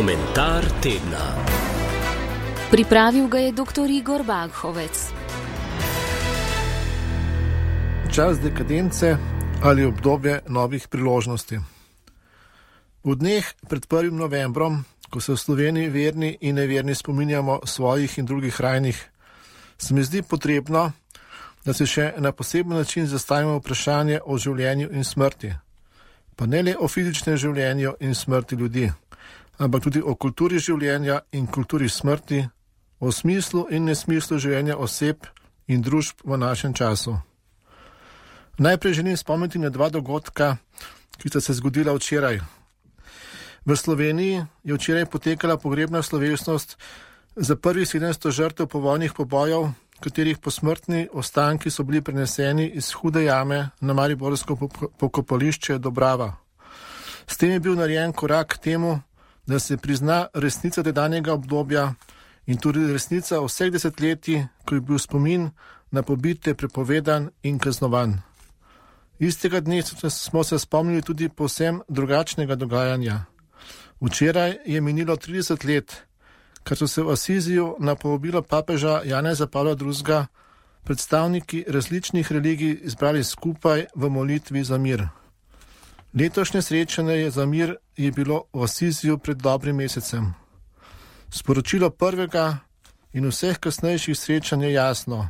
Komentar tedna. Pripravil ga je dr. Igor Baghovec. Čas dekadence ali obdobje novih priložnosti. V dneh pred 1. novembrom, ko se v Sloveniji verni in neverni spominjamo svojih in drugih rajnih, se mi zdi potrebno, da se še na poseben način zastavimo vprašanje o življenju in smrti. Pa ne le o fizičnem življenju in smrti ljudi, ampak tudi o kulturi življenja in kulturi smrti, o smislu in nesmislu življenja oseb in družb v našem času. Najprej želim spomniti na 2 dogodka, ki sta se zgodila včeraj. V Sloveniji je včeraj potekala pogrebna slovesnost za prvih 700 žrtev povojnih pobojev, katerih posmrtni ostanki so bili preneseni iz Hude jame na mariborsko pokopališče Dobrava. S tem je bil narejen korak k temu, da se prizna resnica tedanjega obdobja in tudi resnica vseh desetletij, ko je bil spomin na pobite prepovedan in kaznovan. Istega dne smo se spomnili tudi povsem drugačnega dogajanja. Včeraj je minilo 30 let, kar so se v Asiziju na povabilo papeža Janeza Pavla II. Predstavniki različnih religij izbrali skupaj v molitvi za mir. Letošnje srečanje za mir je bilo v Asiziju pred dobrim mesecem. Sporočilo prvega in vseh kasnejših srečanj je jasno.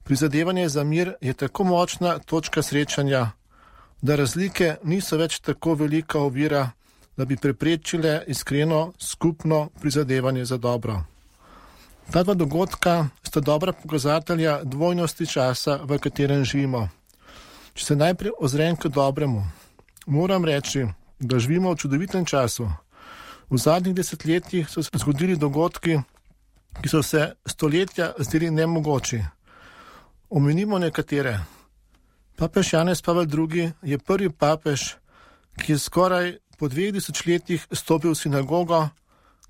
Prizadevanje za mir je tako močna točka srečanja, da razlike niso več tako velika ovira, da bi preprečile iskreno skupno prizadevanje za dobro. Ta 2 dogodka sta dobra pokazatelja dvojnosti časa, v katerem živimo. Če se najprej ozrem k dobremu, moram reči, da živimo v čudovitem času. V zadnjih desetletjih so se zgodili dogodki, ki so se stoletja zdeli nemogoči. Omenimo nekatere. Papež Janez Pavel II. Je prvi papež, ki je skoraj po 2 desetletjih stopil v sinagogo,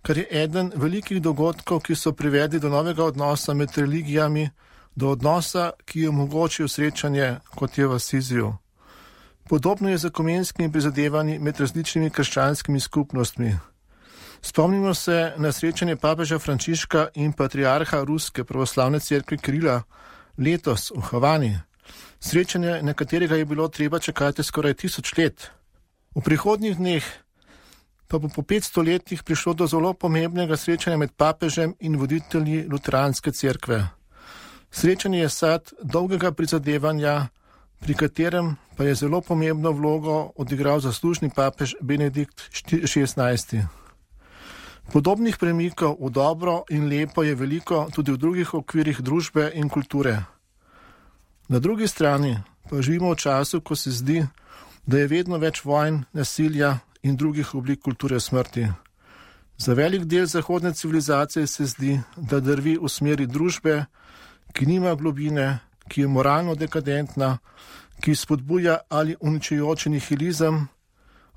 kar je eden velikih dogodkov, ki so privedli do novega odnosa med religijami, do odnosa, ki je omogočil srečanje, kot je v Asiziju. Podobno je z ekumenskimi prizadevanji med različnimi krščanskimi skupnostmi. Spomnimo se na srečanje papeža Frančiška in patriarha Ruske pravoslavne cerkve Kirila letos v Havani. Srečanje, na katerega je bilo treba čakati skoraj 1000 let. V prihodnjih dneh pa bo po 500 letih prišlo do zelo pomembnega srečanja med papežem in voditelji luteranske cerkve. Srečanje je sad dolgega prizadevanja, pri katerem pa je zelo pomembno vlogo odigral zaslužni papež Benedikt XVI. Podobnih premikov v dobro in lepo je veliko tudi v drugih okvirih družbe in kulture. Na drugi strani pa živimo v času, ko se zdi, da je vedno več vojn, nasilja in drugih oblik kulture smrti. Za velik del zahodne civilizacije se zdi, da drvi v smeri družbe, ki nima globine, ki je moralno dekadentna, ki spodbuja ali uničujoči nihilizem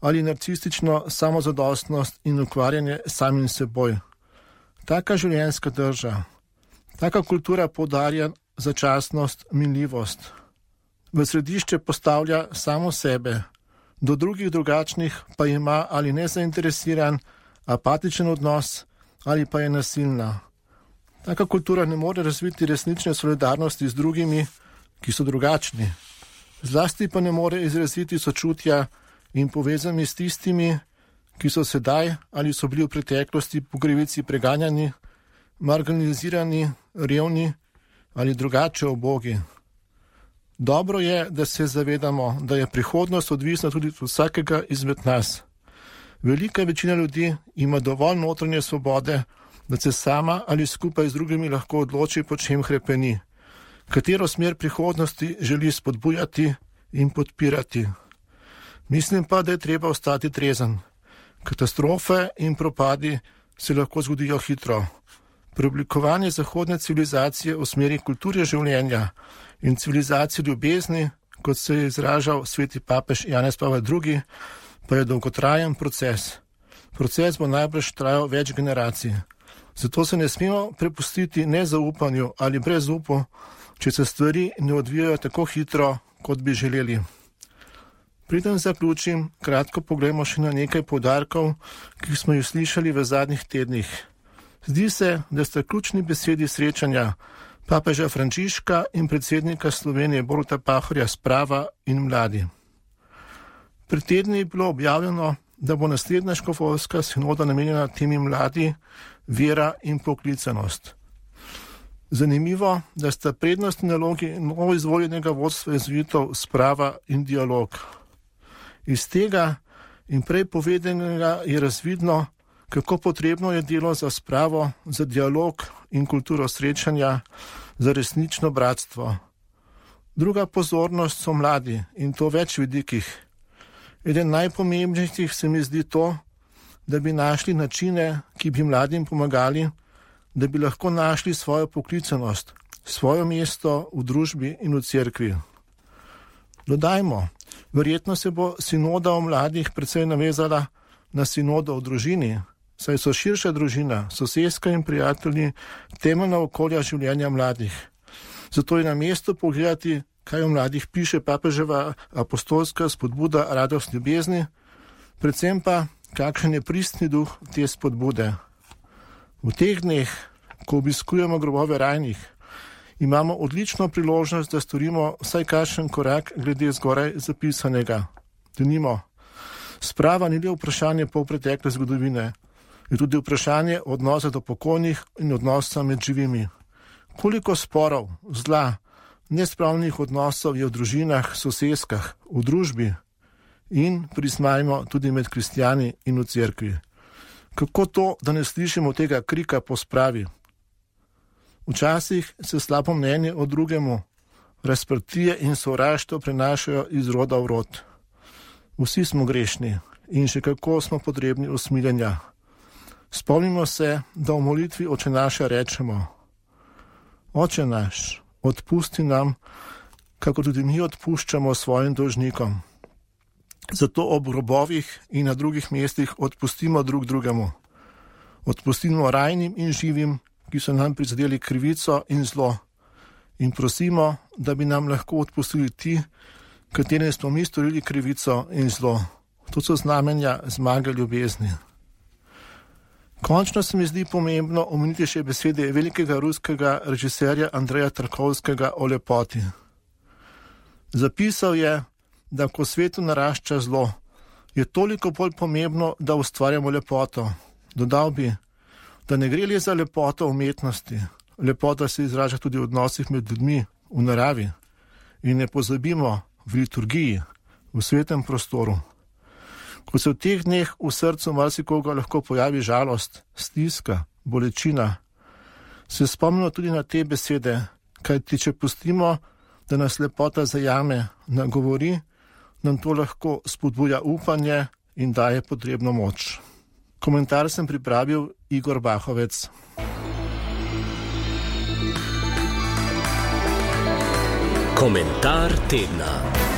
ali narcistično samozadostnost in ukvarjanje samim seboj. Taka življenjska drža, taka kultura poudarja začasnost, minljivost. V središče postavlja samo sebe, do drugih drugačnih pa ima ali nezainteresiran, apatičen odnos ali pa je nasilna. Taka kultura ne more razviti resnične solidarnosti z drugimi, ki so drugačni. Zlasti pa ne more izraziti sočutja in povezani s tistimi, ki so sedaj ali so bili v preteklosti po krivici preganjani, marginalizirani, revni ali drugače ubogi. Dobro je, da se zavedamo, da je prihodnost odvisna tudi od vsakega izmed nas. Velika večina ljudi ima dovolj notranje svobode, da se sama ali skupaj z drugimi lahko odloči, po čem hrepeni, katero smer prihodnosti želi spodbujati in podpirati. Mislim pa, da je treba ostati trezen. Katastrofe in propadi se lahko zgodijo hitro. Preoblikovanje zahodne civilizacije v smeri kulture življenja in civilizacije ljubezni, kot se je izražal sveti papež Janez Pavel II., pa je dolgotrajen proces. Proces bo najbrž trajal več generacij. Zato se ne smemo prepustiti nezaupanju ali brezupu, če se stvari ne odvijajo tako hitro, kot bi želeli. Preden zaključim, kratko pogledamo še na nekaj poudarkov, ki smo jih slišali v zadnjih tednih. Zdi se, da sta ključni besedi srečanja papeža Frančiška in predsednika Slovenije Boruta Pahorja sprava in mladi. Pred tedni je bilo objavljeno, da bo naslednja škofovska sinoda namenjena temi mladi, vera in poklicanost. Zanimivo, da sta prednostni nalogi novo izvoljenega vodstva jezuitov sprava in dialog. Iz tega in prej povedanega je razvidno, kako potrebno je delo za spravo, za dialog in kulturo srečanja, za resnično bratstvo. Druga pozornost so mladi in to več vidikih. Eden najpomembnejših se mi zdi to, da bi našli načine, ki bi mladim pomagali, da bi lahko našli svojo poklicanost, svoje mesto v družbi in v cerkvi. Dodajmo, verjetno se bo sinoda o mladih precej navezala na sinodo o družini, saj so širša družina, sosedska in prijatelji temeljna okolja življenja mladih. Zato je na mestu pogledati, kaj o mladih piše papeževa apostolska spodbuda Radost ljubezni, predvsem pa, kakšen je pristni duh te spodbude. V teh dneh, ko obiskujemo grobove rajnih, imamo odlično priložnost, da storimo vsaj kakšen korak glede zgoraj zapisanega. Denimo, sprava ni le vprašanje polpretekle zgodovine, je tudi vprašanje odnosa do pokojnih in odnosa med živimi. Koliko sporov, zla, nespravnih odnosov je v družinah, sosedskah, v družbi in, priznajmo, tudi med kristjani in v cerkvi. Kako to, da ne slišimo tega krika po spravi? Včasih se slabo mnenje o drugemu, razprtije in sovraštvo prenašajo iz roda v rod. Vsi smo grešni in še kako smo potrebni usmiljenja. Spomnimo se, da v molitvi Oče naša rečemo: Oče naš, odpusti nam, kako tudi mi odpuščamo svojim dolžnikom. Zato ob grobovih in na drugih mestih odpustimo drug drugemu. Odpustimo rajnim in živim, ki so nam prizadeli krivico in zlo. In prosimo, da bi nam lahko odpustili ti, katerim smo mi storili krivico in zlo. To so znamenja zmage ljubezni. Končno se mi zdi pomembno omeniti še besede velikega ruskega režiserja Andreja Tarkovskega o lepoti. Zapisal je, da ko svetu narašča zlo, je toliko bolj pomembno, da ustvarjamo lepoto. Dodal bi, da ne gre le za lepoto umetnosti. Lepota se izraža tudi v odnosih med ljudmi, v naravi. In ne pozabimo, v liturgiji, v svetem prostoru. Ko se v teh dneh v srcu marsikoga lahko pojavi žalost, stiska, bolečina, se spomnimo tudi na te besede, kajti če pustimo, da nas lepota zajame, nagovori, nam to lahko spodbuja upanje in daje potrebno moč. Komentar sem pripravil Igor Bahovec. Komentar tedna.